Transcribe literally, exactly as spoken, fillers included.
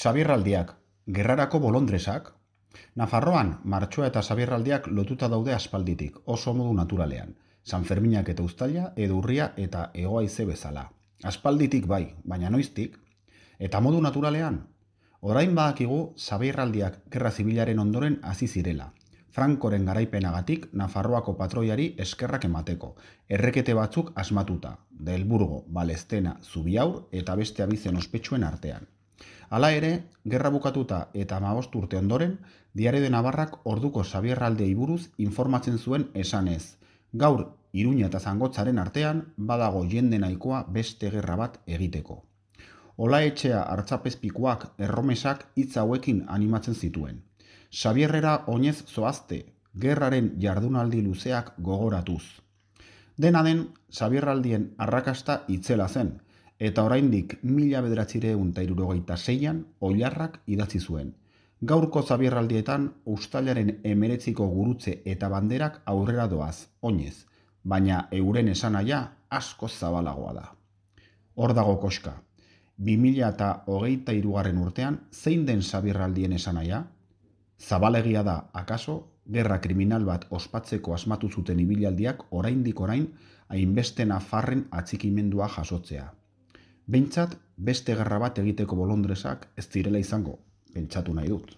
Sabierraldiak, gerrarako bolondresak. Nafarroan, martxoa eta sabierraldiak lotuta daude aspalditik, oso modu naturalean. Sanferminak eta uztaila, edo urria eta hego-haize bezala. Aspalditik bai, baina noiztik. Eta modu naturalean, orain badakigu sabierraldiak gerra zibilaren ondoren hasi zirela. Frankoren garaipenagatik Nafarroako patroiari eskerrak emateko, errekete batzuk asmatuta, Delburgo, Balestena, Zubiaur eta beste abizen ospetsuen artean. Hala ere, gerra bukatuta eta hamabost urte ondoren, Diario de Navarrak orduko sabierraldiei buruz informatzen zuen esanez. Gaur, Iruña eta Zangotzaren artean, badago jende nahikoa beste gerra bat egiteko. Olaetxea hartzapezpikuak erromesak hitz hauekin animatzen zituen. Sabierrera oinez zoazte, gerraren jardunaldi luzeak gogoratuz. Dena den, sabierraldien arrakasta itzela zen, eta oraindik mila bederatziehun eta hirurogeita seian Oilarrak idatzi zuen. Gaurko sabierraldietan uztailaren hemeretziko gurutze eta banderak aurrera doaz, oinez, baina euren esanahia asko zabalagoa da. Hor dago koska. bi mila eta hogeita hirugarren urtean zein den sabierraldien esanahia? Zabalegia da, akaso, gerra kriminal bat ospatzeko asmatu zuten ibilaldiak oraindik orain hainbeste nafarren atxikimendua jasotzea. Behintzat, beste gerra bat egiteko bolondresak ez direla izango, pentsatu nahi dut.